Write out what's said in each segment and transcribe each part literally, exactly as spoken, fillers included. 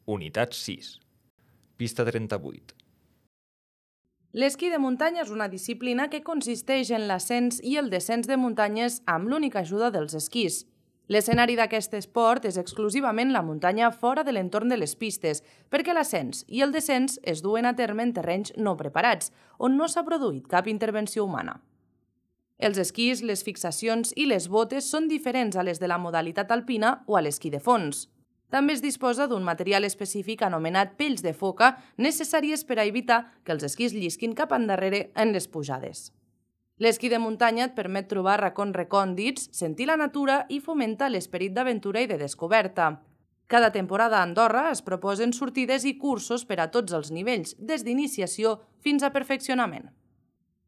Unitat sis. Pista trenta-vuit. L'esquí de muntanya és una disciplina que consisteix en l'ascens i el descens de muntanyes amb l'única ajuda dels esquís. L'escenari d'aquest esport és exclusivament la muntanya fora de l'entorn de les pistes, perquè l'ascens i el descens es duen a terme en terrenys no preparats, on no s'ha produït cap intervenció humana. Els esquís, les fixacions i les botes són diferents a les de la modalitat alpina o a l'esquí de fons. També es disposa d'un material específic anomenat pells de foca, necessàries per a evitar que els esquís llisquin cap endarrere en les pujades. L'esquí de muntanya et permet trobar racons recòndits, sentir la natura i fomentar l'esperit d'aventura i de descoberta. Cada temporada a Andorra es proposen sortides i cursos per a tots els nivells, des d'iniciació fins a perfeccionament.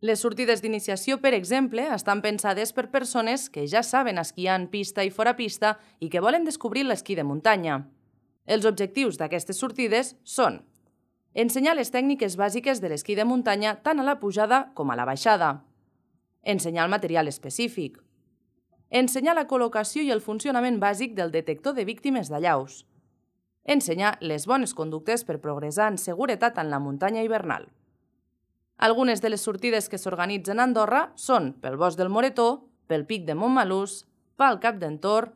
Les sortides d'iniciació, per exemple, estan pensades per persones que ja saben esquiar en pista i fora pista i que volen descobrir l'esquí de muntanya. Els objectius d'aquestes sortides són ensenyar les tècniques bàsiques de l'esquí de muntanya tant a la pujada com a la baixada, ensenyar el material específic, ensenyar la col·locació i el funcionament bàsic del detector de víctimes d'allaus, ensenyar les bones conductes per progressar en seguretat en la muntanya hivernal. Algunes de les sortides que s'organitzen a Andorra són pel Bosc del Moretó, pel Pic de Montmelús, pel Cap d'Entor,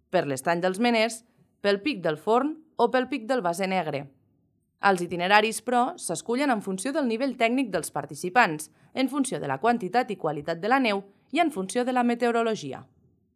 per l'Estany dels Meners, pel Pic del Forn o pel Pic del Base Negre. Els itineraris, però, s'escullen en funció del nivell tècnic dels participants, en funció de la quantitat i qualitat de la neu i en funció de la meteorologia.